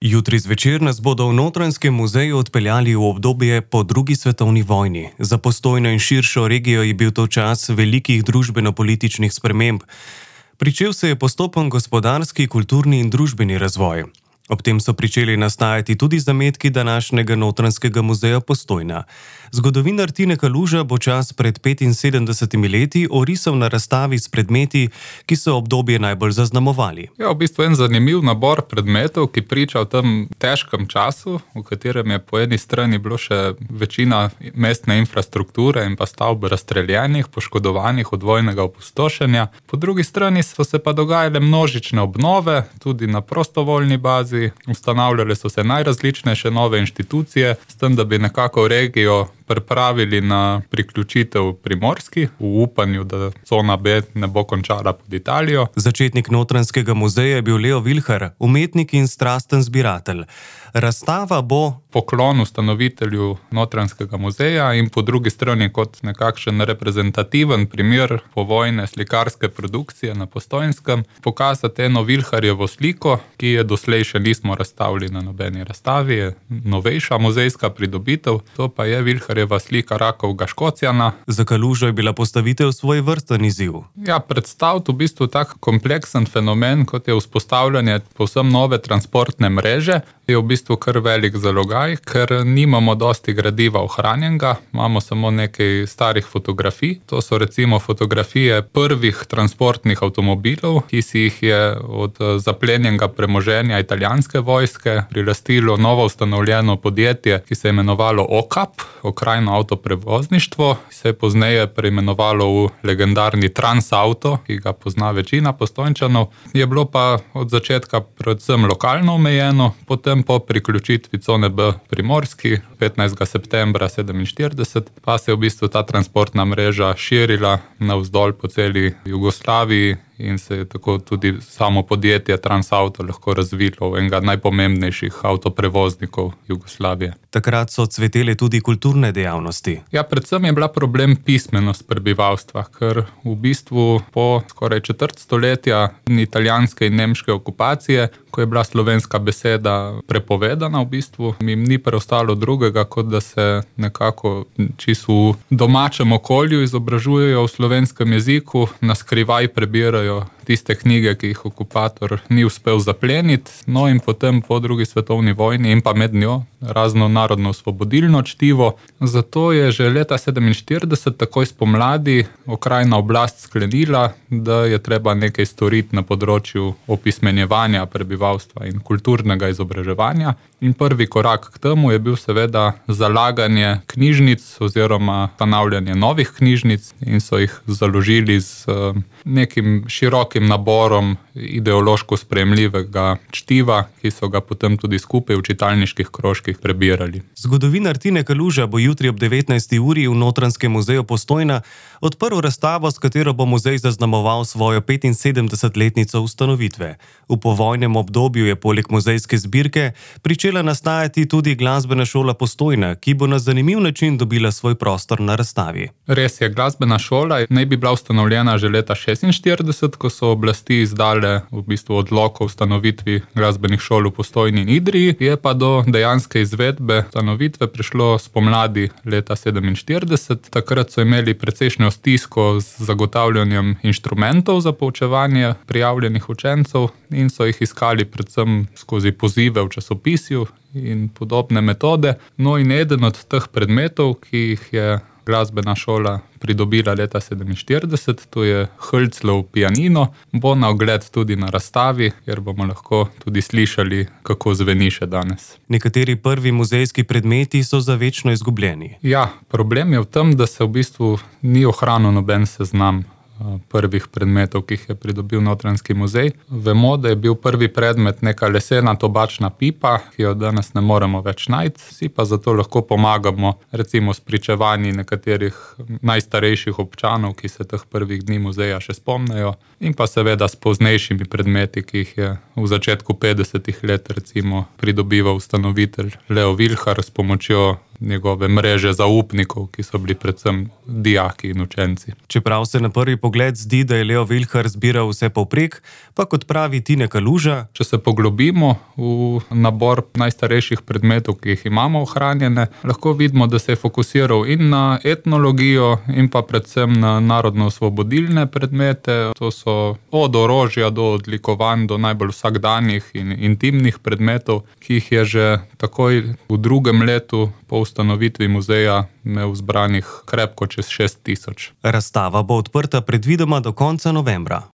Jutri zvečer nas bodo v Notranjskem muzeju odpeljali v obdobje po drugi svetovni vojni. Za Postojno in širšo regijo je bil to čas velikih družbeno-političnih sprememb. Pričel se je postopen gospodarski, kulturni in družbeni razvoj. Ob tem so pričeli nastajati tudi zametki današnjega Notranjskega muzeja Postojna. Zgodovinar Tine Kaluža bo čas pred 75 leti orisal na razstavi s predmeti, ki so obdobje najbolj zaznamovali. Ja, v bistvu en zanimiv nabor predmetov, ki priča o tem težkem času, v katerem je po eni strani bilo še večina mestne infrastrukture in pa stavb razstreljenih, poškodovanih od vojnega opustošenja. Po drugi strani so se pa dogajale množične obnove, tudi na prostovoljni bazi. Ustanavljale so se najrazličnejše nove inštitucije, s tem, da bi nekako regijo pripravili na priključitev Primorski, v upanju, da cona B ne bo končala pod Italijo. Začetnik Notranjskega muzeja je bil Leo Vilhar, umetnik in strasten zbiratelj. Razstava bo poklon ustanovitelju Notranjskega muzeja in po drugi strani kot nekakšen reprezentativen primer povojne slikarske produkcije na Postojnskem pokazati eno Vilharjevo sliko, ki je doslej še nismo razstavili na nobeni razstavi, je novejša muzejska pridobitev, to pa je Vilharjeva slika Rakovega Škocjana. Za Kalužo je bila postavitev svojevrsten izziv. Ja, predstaviti v bistvu tak kompleksen fenomen, kot je vzpostavljanje povsem nove transportne mreže, je v bistvu kar velik zalogaj, ker nimamo dosti gradiva ohranjenega, imamo samo nekaj starih fotografij. To so recimo fotografije prvih transportnih avtomobilov, ki si jih je od zaplenjenega premoženja italijanske vojske prilastilo novo ustanovljeno podjetje, ki se je imenovalo OKAP, Okrajno avtoprevozništvo, se je pozneje preimenovalo v legendarni Transauto, ki ga pozna večina Postojnčanov. Je bilo pa od začetka predvsem lokalno omejeno, potem po priključitvi cone B Primorski 15. septembra 1947 pa se je v bistvu ta transportna mreža širila navzdol po celi Jugoslaviji in se je tako tudi samo podjetje Transauto lahko razvilo v enega najpomembnejših avtoprevoznikov Jugoslavije. Takrat so cvetele tudi kulturne dejavnosti. Ja, predvsem je bila problem pismenost prebivalstva, ker v bistvu po skoraj četrt stoletja italijanske in nemške okupacije, ko je bila slovenska beseda prepovedana v bistvu, jim ni preostalo drugega, kot da se nekako čisto v domačem okolju izobražujejo v slovenskem jeziku, na skrivaj prebirajo tiste knjige, ki jih okupator ni uspel zapleniti, no in potem po drugi svetovni vojni in pa med njo razno narodno-osvobodilno čtivo. Zato je že leta 1947, takoj spomladi, okrajna oblast sklenila, da je treba nekaj storiti na področju opismenjevanja prebivalstva in kulturnega izobraževanja. In prvi korak k temu je bil seveda zalaganje knjižnic oziroma ustanavljanje novih knjižnic in so jih založili z nekim širokim naborom ideološko sprejemljivega čtiva, ki so ga potem tudi skupaj v čitalniških krožkih prebirali. Zgodovinar Tine Kaluža bo jutri ob 19. uri v Notranjskem muzeju Postojna odprl razstavo, s katero bo muzej zaznamoval svojo 75-letnico ustanovitve. V povojnem obdobju je poleg muzejske zbirke pričela nastajati tudi glasbena šola Postojna, ki bo na zanimiv način dobila svoj prostor na razstavi. Res je, glasbena šola naj bi bila ustanovljena že leta 1946, ko so oblasti izdale v bistvu odlok o ustanovitvi glasbenih šol v Postojni in Idriji, je pa do dejanske izvedbe ustanovitve prišlo spomladi leta 1947. Takrat so imeli precejšnjo stisko z zagotavljanjem inštrumentov za poučevanje prijavljenih učencev in so jih iskali predvsem skozi pozive v časopisju in podobne metode. No in eden od teh predmetov, ki jih je glasbena šola pridobila leta 1947, to je Hölzlov pianino, bo na ogled tudi na razstavi, kjer bomo lahko tudi slišali, kako zveni še danes. Nekateri prvi muzejski predmeti so za večno izgubljeni. Ja, problem je v tem, da se v bistvu ni ohranil noben seznam prvih predmetov, ki jih je pridobil Notranjski muzej. Vemo, da je bil prvi predmet neka lesena tobačna pipa, ki jo danes ne moremo več najti, si pa zato lahko pomagamo recimo s pričevanji nekaterih najstarejših občanov, ki se teh prvih dni muzeja še spomnejo, in pa seveda s poznejšimi predmeti, ki jih je v začetku 50. let recimo pridobival ustanovitelj Leo Vilhar s pomočjo njegove mreže zaupnikov, ki so bili predvsem dijaki in učenci. Čeprav se na prvi pogled zdi, da je Leo Vilhar zbiral vse povprek, pa kot pravi Tine Kaluža, če se poglobimo v nabor najstarejših predmetov, ki jih imamo ohranjene, lahko vidimo, da se je fokusiral in na etnologijo in pa predvsem na narodno-osvobodilne predmete. To so od orožja do odlikovanj, do najbolj vsakdanjih in intimnih predmetov, ki jih je že takoj v drugem letu po ustanovitvi muzeja imel zbranih krepko čez 6000. Razstava bo odprta predvidoma do konca novembra.